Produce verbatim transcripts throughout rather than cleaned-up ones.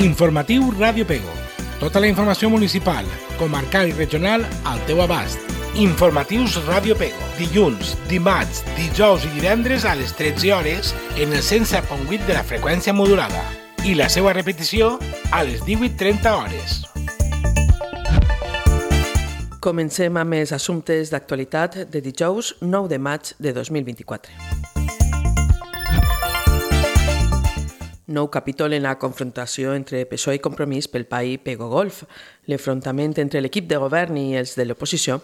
Informatiu Ràdio Pego. Tota la informació municipal, comarcal i regional al teu abast. Informatius Ràdio Pego. Dilluns, dimarts, dijous i divendres a les tretze hores en el cent set coma vuit de la freqüència modulada. I la seva repetició a les divuit trenta hores. Comencem amb els assumptes d'actualitat de dijous nou de maig de dos mil vint-i-quatre. Nou capítol en la confrontació entre P S O E i Compromís pel P A I Pego Golf. L'enfrontament entre l'equip de govern i els de l'oposició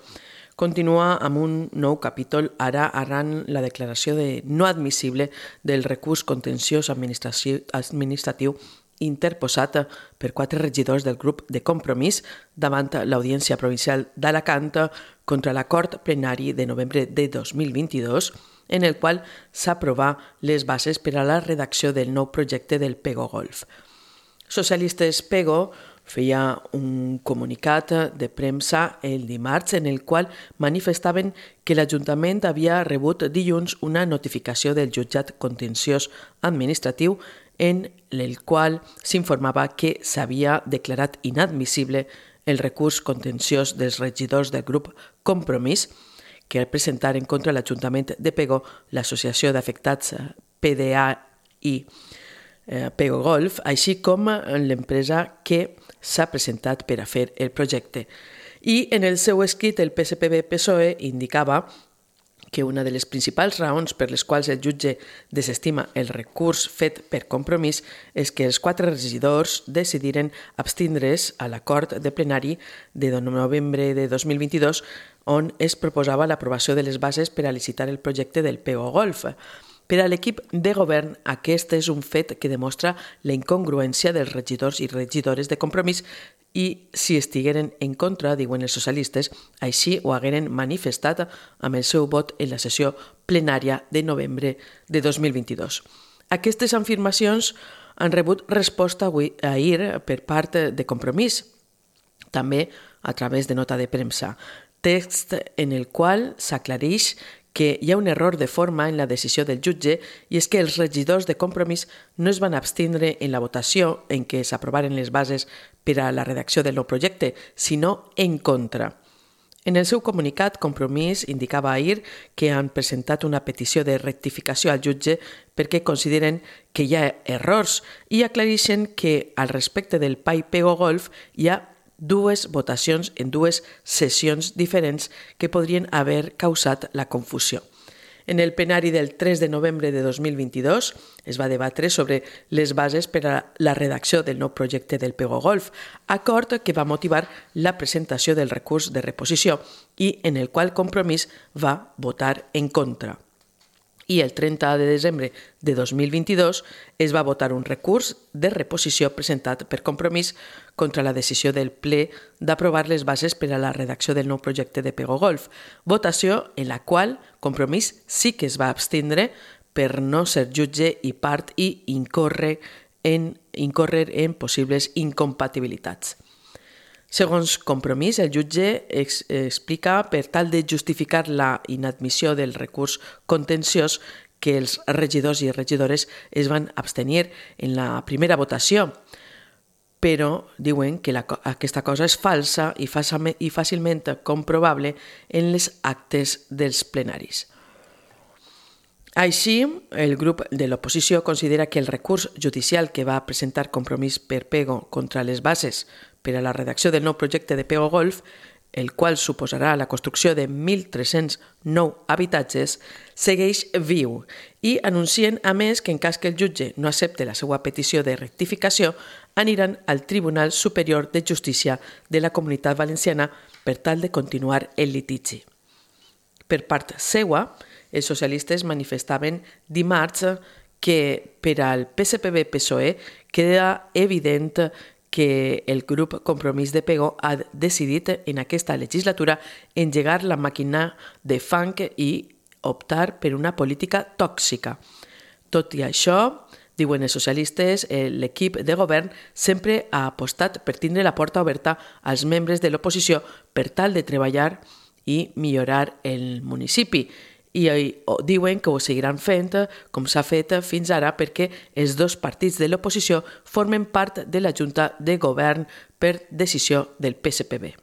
continua amb un nou capítol ara arran la declaració de no admissible del recurs contenciós administratiu interposat per quatre regidors del grup de Compromís davant l'Audiència Provincial d'Alacant contra l'acord plenari de novembre de dos mil vint-i-dos, en el qual s'aprova les bases per a la redacció del nou projecte del Pego Golf. Socialistes Pego feia un comunicat de premsa el dimarts en el qual manifestaven que l'Ajuntament havia rebut dilluns una notificació del jutjat contenciós administratiu en el qual s'informava que s'havia declarat inadmissible el recurs contenciós dels regidors del grup Compromís que presentaren contra l'Ajuntament de Pego, l'Associació d'Afectats P D A i Pego Golf, així com l'empresa que s'ha presentat per a fer el projecte. I en el seu escrit el P S P B P S O E indicava que una de les principals raons per les quals el jutge desestima el recurs fet per Compromís és que els quatre regidors decidiren abstindre's a l'acord de plenari de novembre de dos mil vint-i-dos on es proposava l'aprovació de les bases per a licitar el projecte del Pego Golf. Per a l'equip de govern, aquest és un fet que demostra la incongruència dels regidors i regidores de Compromís i si estigueren en contra, diuen els socialistes, així ho hagueren manifestat amb el seu vot en la sessió plenària de novembre de dos mil vint-i-dos. Aquestes afirmacions han rebut resposta ahir per part de Compromís, també a través de nota de premsa, text en el qual s'aclareix que hi ha un error de forma en la decisió del jutge i és que els regidors de Compromís no es van abstindre en la votació en què s'aprovaren les bases per a la redacció del nou projecte, sinó en contra. En el seu comunicat, Compromís indicava ahir que han presentat una petició de rectificació al jutge perquè consideren que hi ha errors i aclareixen que al respecte del P A I Pego Golf hi ha dues votacions en dues sessions diferents que podrien haver causat la confusió. En el plenari del tres de novembre de dos mil vint-i-dos es va debatre sobre les bases per a la redacció del nou projecte del Pego Golf, acord que va motivar la presentació del recurs de reposició i en el qual Compromís va votar en contra. I el trenta de desembre de dos mil vint-i-dos es va votar un recurs de reposició presentat per Compromís contra la decisió del ple d'aprovar les bases per a la redacció del nou projecte de Pego Golf, votació en la qual Compromís sí que es va abstindre per no ser jutge i part i incórrer en, incórrer en possibles incompatibilitats. Segons Compromís, el jutge ex- explica per tal de justificar la inadmissió del recurs contenciós que els regidors i regidores es van abstenir en la primera votació, però diuen que la, aquesta cosa és falsa i, fàcilment, i fàcilment comprovable en les actes dels plenaris. Així, el grup de l'oposició considera que el recurs judicial que va presentar Compromís per Pego contra les bases per a la redacció del nou projecte de Pego Golf, el qual suposarà la construcció de mil tres-cents nou habitatges, segueix viu i anuncien, a més, que en cas que el jutge no accepte la seva petició de rectificació, aniran al Tribunal Superior de Justícia de la Comunitat Valenciana per tal de continuar el litigi. Per part seua, els socialistes manifestaven dimarts que per al P S P B P S O E queda evident que el grup Compromís de Pego ha decidit en aquesta legislatura engegar la màquina de fang i optar per una política tòxica. Tot i això, diuen els socialistes, l'equip de govern sempre ha apostat per tindre la porta oberta als membres de l'oposició per tal de treballar i millorar el municipi i diuen que ho seguiran fent com s'ha fet fins ara perquè els dos partits de l'oposició formen part de la Junta de Govern per decisió del P S P B.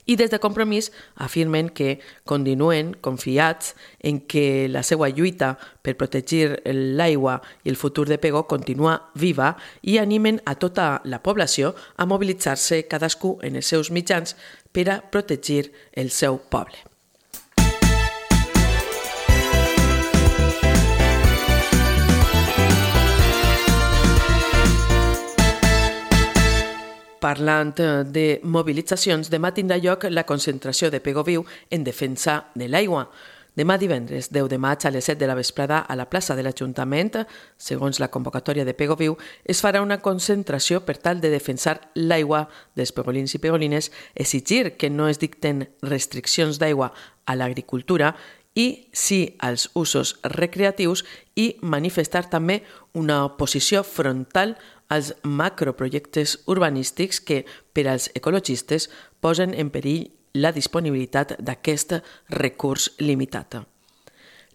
I des de Compromís afirmen que continuen confiats en que la seva lluita per protegir l'aigua i el futur de Pego continua viva i animen a tota la població a mobilitzar-se cadascú en els seus mitjans per a protegir el seu poble. Parlant de mobilitzacions, demà tindrà lloc la concentració de Pego Viu en defensa de l'aigua. Demà divendres, deu de maig, a les set de la vesprada, a la plaça de l'Ajuntament, segons la convocatòria de Pego Viu, es farà una concentració per tal de defensar l'aigua dels pegolins i pegolines, exigir que no es dicten restriccions d'aigua a l'agricultura i sí als usos recreatius i manifestar també una oposició frontal als macroprojectes urbanístics que, per als ecologistes, posen en perill la disponibilitat d'aquest recurs limitat.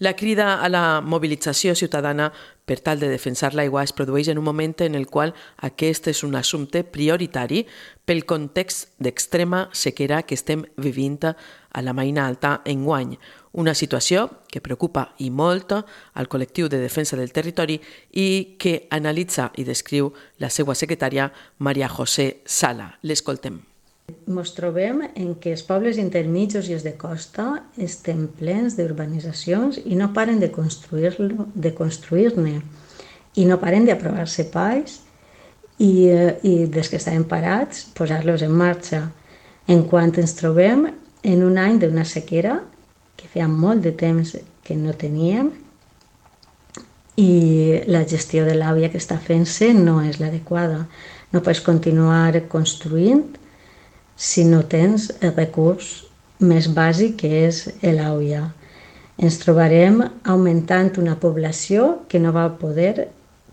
La crida a la mobilització ciutadana per tal de defensar l'aigua es produeix en un moment en el qual aquest és un assumpte prioritari pel context d'extrema sequera que estem vivint a la Maina Alta enguany, una situació que preocupa i molt al col·lectiu de defensa del territori i que analitza i descriu la seva secretària Maria José Sala. L'escoltem. Ens trobem en què els pobles intermitjos i els de costa estem plens d'urbanitzacions i no paren de construir-ne de construir-ne i no paren d'aprovar sepais i, i des que estaven parats posar-los en marxa. En quant ens trobem en un any d'una sequera que feia molt de temps que no teníem i la gestió de l'aigua que està fent-se no és l'adequada. No pots continuar construint si no tens el recurs més bàsic que és l'aigua. Ens trobarem augmentant una població que no va poder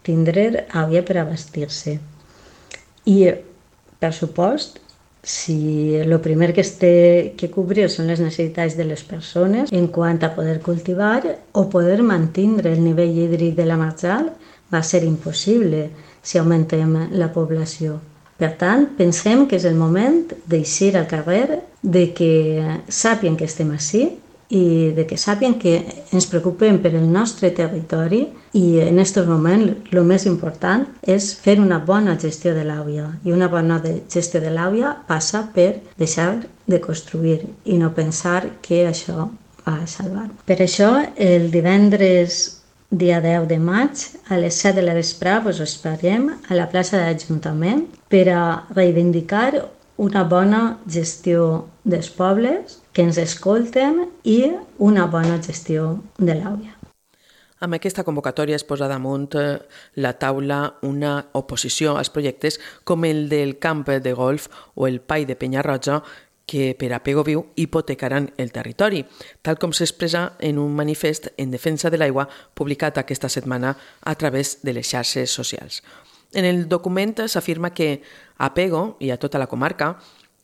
tindre aigua per abastir-se. I, per supost, si el primer que es té que cobrir són les necessitats de les persones en quant a poder cultivar o poder mantenir el nivell hídric de la marjal, va ser impossible si augmentem la població. Per tant, pensem que és el moment d'eixir al carrer, de que sàpien que estem ací i de que sàpien que ens preocupem per el nostre territori i en aquest moment el més important és fer una bona gestió de l'aigua i una bona gestió de l'aigua passa per deixar de construir i no pensar que això va salvar. Per això, el divendres dia deu de maig, a les set de la vesprada, us esperem a la plaça de l'Ajuntament per a reivindicar una bona gestió dels pobles, que ens escolten i una bona gestió de l'aigua. Amb aquesta convocatòria es posa damunt la taula una oposició als projectes com el del camp de golf o el Pai de Penyarroja, que per a Pego Viu hipotecaran el territori, tal com s'expressa en un manifest en defensa de l'aigua publicat aquesta setmana a través de les xarxes socials. En el document s'afirma que a Pego i a tota la comarca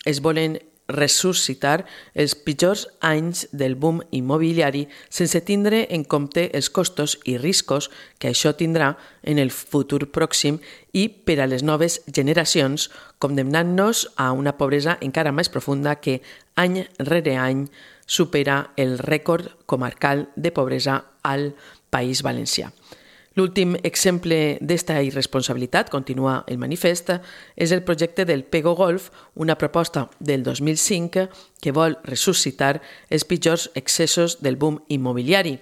es volen ressuscitar els pitjors anys del boom immobiliari sense tindre en compte els costos i riscos que això tindrà en el futur pròxim i per a les noves generacions, condemnant-nos a una pobresa encara més profunda que any rere any supera el rècord comarcal de pobresa al País Valencià. L'últim exemple d'esta irresponsabilitat, continua el manifest, és el projecte del Pego Golf, una proposta del dos mil cinc que vol ressuscitar els pitjors excessos del boom immobiliari.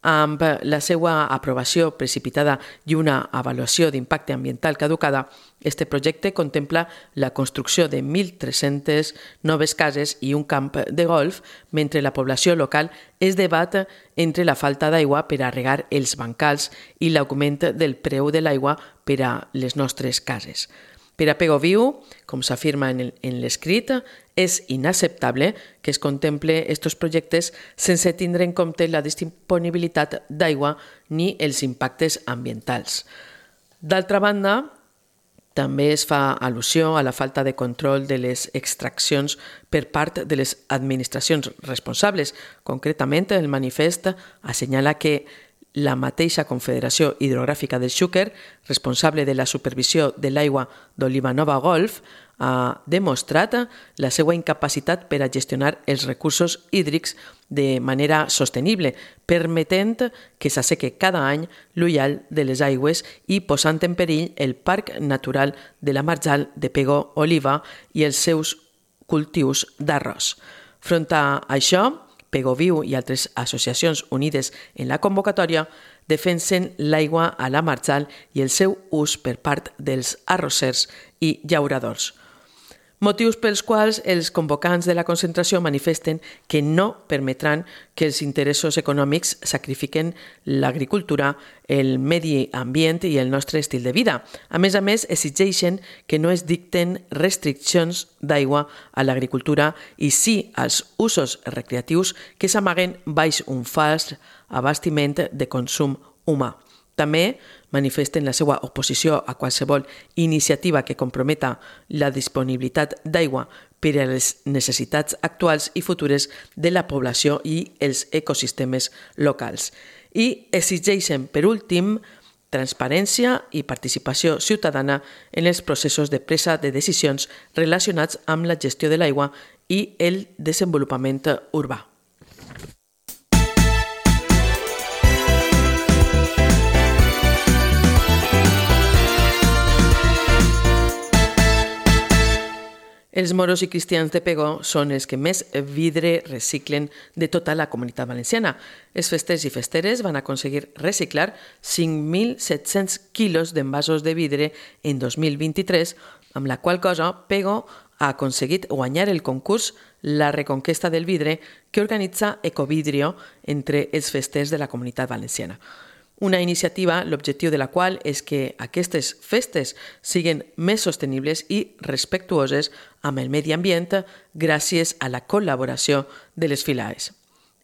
Amb la seva aprovació precipitada i una avaluació d'impacte ambiental caducada, este projecte contempla la construcció de mil tres-centes noves cases i un camp de golf, mentre la població local es debat entre la falta d'aigua per a regar els bancals i l'augment del preu de l'aigua per a les nostres cases. Per a Pego Viu, com s'afirma en l'escrit, és inacceptable que es contemple aquests projectes sense tindre en compte la disponibilitat d'aigua ni els impactes ambientals. D'altra banda, També es fa al·lusió a la falta de control de les extraccions per part de les administracions responsables. Concretament, el manifest assenyala que la mateixa Confederació Hidrogràfica del Xúquer, responsable de la supervisió de l'aigua d'Oliva Nova Golf, ha demostrat la seva incapacitat per a gestionar els recursos hídrics de manera sostenible, permetent que s'asseque cada any l'ullal de les aigües i posant en perill el Parc Natural de la Marjal de Pego Oliva i els seus cultius d'arròs. Front a això, Pego Viu i altres associacions unides en la convocatòria defensen l'aigua a la Marjal i el seu ús per part dels arrossers i llauradors. Motius pels quals els convocants de la concentració manifesten que no permetran que els interessos econòmics sacrifiquen l'agricultura, el medi ambient i el nostre estil de vida. A més a més, exigeixen que no es dicten restriccions d'aigua a l'agricultura i sí als usos recreatius que s'amaguen baix un fals abastiment de consum humà. També manifesten la seva oposició a qualsevol iniciativa que comprometa la disponibilitat d'aigua per a les necessitats actuals i futures de la població i els ecosistemes locals. I exigeixen, per últim, transparència i participació ciutadana en els processos de presa de decisions relacionats amb la gestió de l'aigua i el desenvolupament urbà. Els moros i cristians de Pego són els que més vidre reciclen de tota la Comunitat Valenciana. Els festers i festeres van aconseguir reciclar cinc mil set-cents quilos d'envasos de vidre en dos mil vint-i-tres, amb la qual cosa Pego ha aconseguit guanyar el concurs La Reconquesta del Vidre que organitza Ecovidrio entre els festers de la Comunitat Valenciana. Una iniciativa, l'objectiu de la qual és que aquestes festes siguin més sostenibles i respectuoses amb el medi ambient gràcies a la col·laboració de les filaes.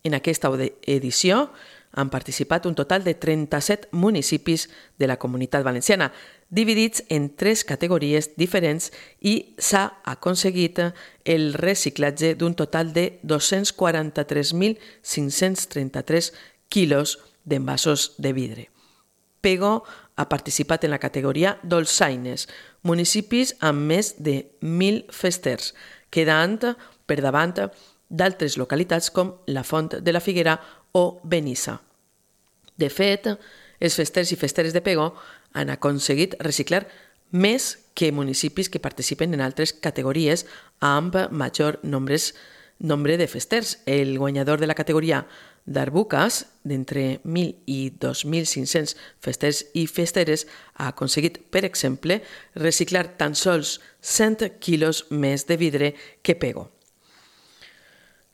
En aquesta edició han participat un total de trenta-set municipis de la Comunitat Valenciana, dividits en tres categories diferents i s'ha aconseguit el reciclatge d'un total de dos-cents quaranta-tres mil cinc-cents trenta-tres quilos d'envasos de vidre. Pego ha participat en la categoria dolçaines, municipis amb més de mil festers, quedant per davant d'altres localitats com la Font de la Figuera o Benissa. De fet, els festers i festeres de Pego han aconseguit reciclar més que municipis que participen en altres categories amb major nombres, nombre de festers. El guanyador de la categoria d'Arbucas, d'entre mil i dos mil cinc-cents festers i festeres, ha aconseguit, per exemple, reciclar tan sols cent quilos més de vidre que Pego.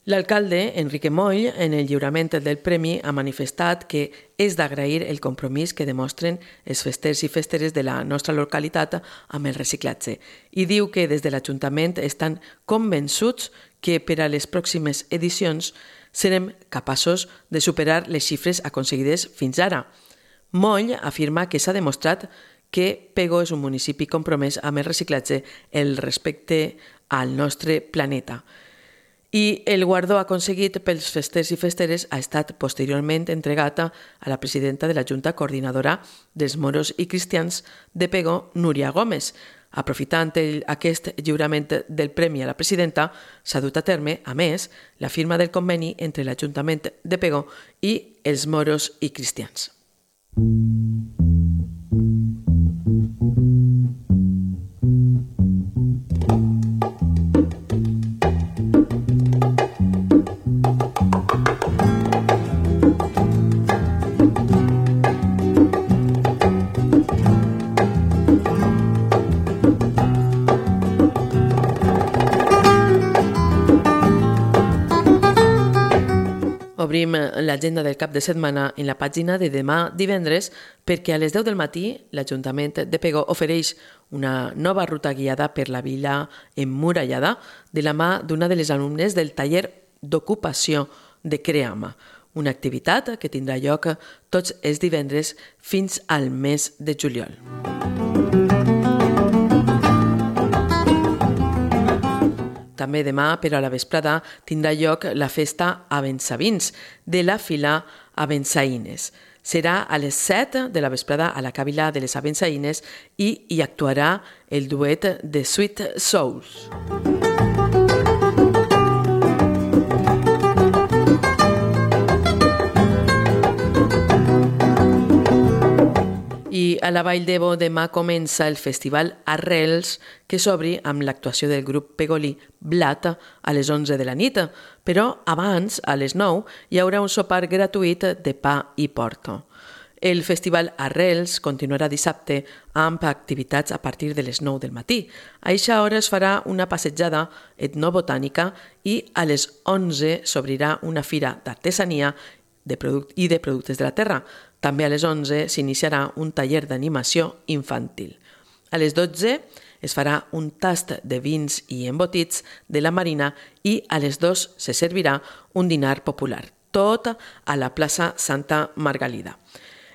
L'alcalde, Enrique Moll, en el lliurament del premi, ha manifestat que és d'agrair el compromís que demostren els festers i festeres de la nostra localitat amb el reciclatge i diu que des de l'Ajuntament estan convençuts que per a les pròximes edicions serem capaços de superar les xifres aconseguides fins ara. Moll afirma que s'ha demostrat que Pego és un municipi compromès amb el reciclatge, el respecte al nostre planeta. I el guardó aconseguit pels festers i festeres ha estat posteriorment entregat a la presidenta de la Junta Coordinadora dels Moros i Cristians de Pego, Núria Gómez. Aprofitant el, aquest lliurament del premi a la presidenta, s'ha dut a terme, a més, la firma del conveni entre l'Ajuntament de Pego i els moros i cristians. Obrim l'agenda del cap de setmana en la pàgina de demà divendres perquè a les deu del matí l'Ajuntament de Pego ofereix una nova ruta guiada per la vila emmurallada de la mà d'una de les alumnes del taller d'ocupació de Creama, una activitat que tindrà lloc tots els divendres fins al mes de juliol. També demà, però a la vesprada, tindrà lloc la festa Abençavins de la Fila Abençaïnes. Serà a les set de la vesprada a la Càvila de les Abençaïnes i hi actuarà el duet de Sweet Souls. I a la Vall d'Ebo demà comença el festival Arrels, que s'obri amb l'actuació del grup pegolí Blat a les onze de la nit, però abans, a les nou, hi haurà un sopar gratuït de pa i porto. El festival Arrels continuarà dissabte amb activitats a partir de les nou del matí. A eixa hora es farà una passejada etnobotànica i a les onze s'obrirà una fira d'artesania i de productes de la terra. També a les onze s'iniciarà un taller d'animació infantil. A les dotze es farà un tast de vins i embotits de la Marina i a les dos se servirà un dinar popular, tot a la plaça Santa Margalida.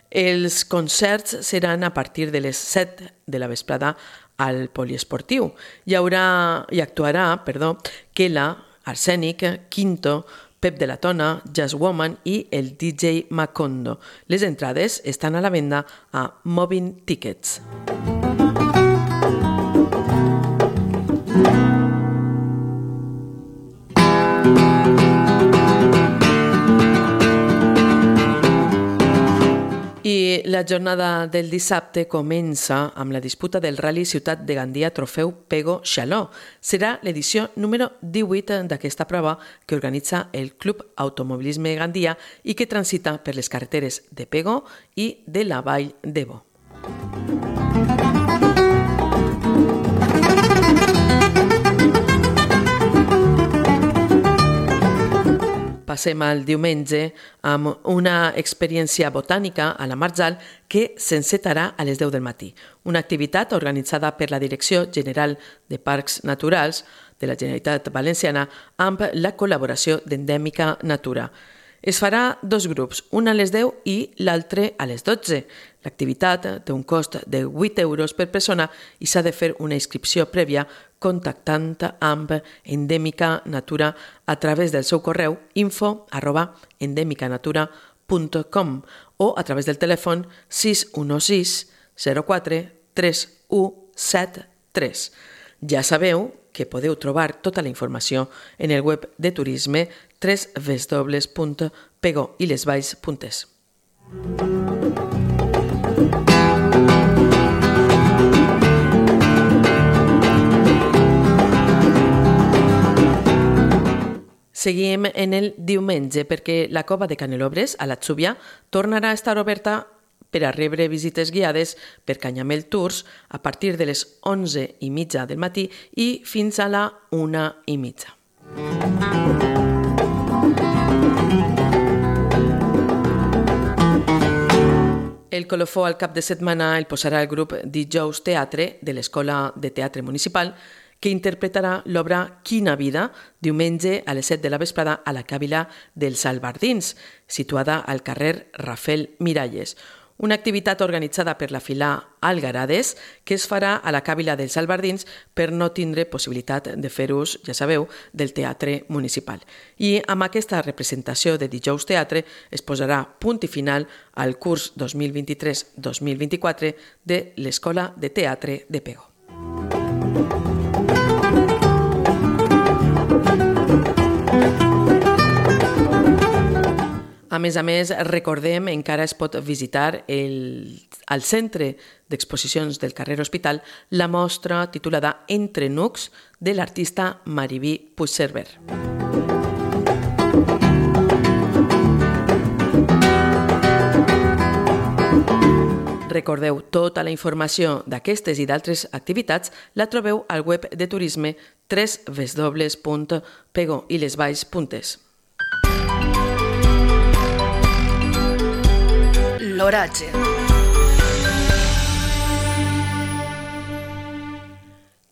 Els concerts seran a partir de les set de la vesprada al poliesportiu. Hi haurà, hi actuarà, perdó, Kela, Arsènic, Quinto, Pep de la Tona, Jazz Woman i el D J Macondo. Les entrades estan a la venda a Moving Tickets. I la jornada del dissabte comença amb la disputa del Rally Ciutat de Gandia Trofeu Pego Xaló. Serà l'edició número divuit d'aquesta prova que organitza el Club Automobilisme Gandia i que transita per les carreteres de Pego i de la Vall d'Ebo. Passem al diumenge amb una experiència botànica a la Marjal que s'encetarà a les deu del matí. Una activitat organitzada per la Direcció General de Parcs Naturals de la Generalitat Valenciana amb la col·laboració d'Endèmica Natura. Es farà dos grups, un a les deu i l'altre a les dotze. L'activitat té un cost de vuit euros per persona i s'ha de fer una inscripció prèvia contactant amb Endèmica Natura a través del seu correu info arroba endemicanatura punt com o a través del telèfon sis u sis zero quatre tres u set tres. Ja sabeu que podeu trobar tota la informació en el web de turisme w w w punt pegoilesvalls punt es. Seguim en el diumenge perquè la cova de Canelobres, a l'Atzúbia, tornarà a estar oberta per a rebre visites guiades per Canyamel Tours a partir de les onze i mitja del matí i fins a la una i mitja. El colofó al cap de setmana el posarà el grup Dijous Teatre de l'Escola de Teatre Municipal, que interpretarà l'obra Quina vida diumenge a les set de la vesprada a la Càvila dels Albardins, situada al carrer Rafael Miralles. Una activitat organitzada per la Fila Algarades que es farà a la Càvila dels Albardins per no tindre possibilitat de fer ús, ja sabeu, del teatre municipal. I amb aquesta representació de Dijous Teatre es posarà punt i final al curs dos mil vint-i-tres dos mil vint-i-quatre de l'Escola de Teatre de Pego. A més a més, recordem, encara es pot visitar el, al Centre d'Exposicions del carrer Hospital la mostra titulada Entre Nucs de l'artista Mariví Puigcerver. Recordeu, tota la informació d'aquestes i d'altres activitats la trobeu al web de turisme w w w punt pegoilesvalls punt es. L'oratge.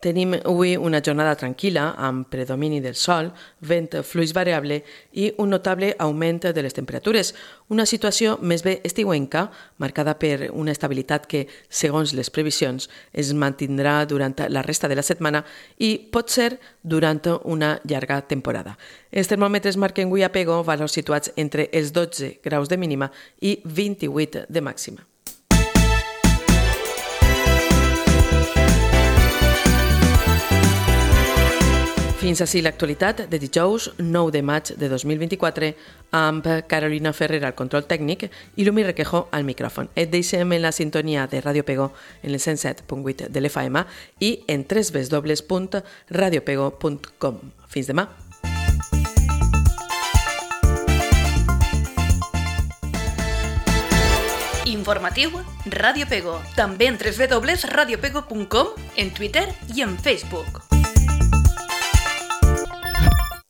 Tenim avui una jornada tranquil·la amb predomini del sol, vent fluix variable i un notable augment de les temperatures. Una situació més bé estiuenca, marcada per una estabilitat que, segons les previsions, es mantindrà durant la resta de la setmana i pot ser durant una llarga temporada. Els termòmetres marquen avui a Pego valors situats entre els dotze graus de mínima i vint-i-vuit de màxima. Fins ací l'actualitat de dijous nou de maig de dos mil vint-i-quatre amb Carolina Ferrer al control tècnic i Lumi Requejo al micròfon. Et deixem en la sintonia de Ràdio Pego en el cent set punt vuit de l'F M i en w w w punt radio pego punt com. Fins demà! Informatiu Ràdio Pego, també en w w w punt radio pego punt com, en Twitter i en Facebook.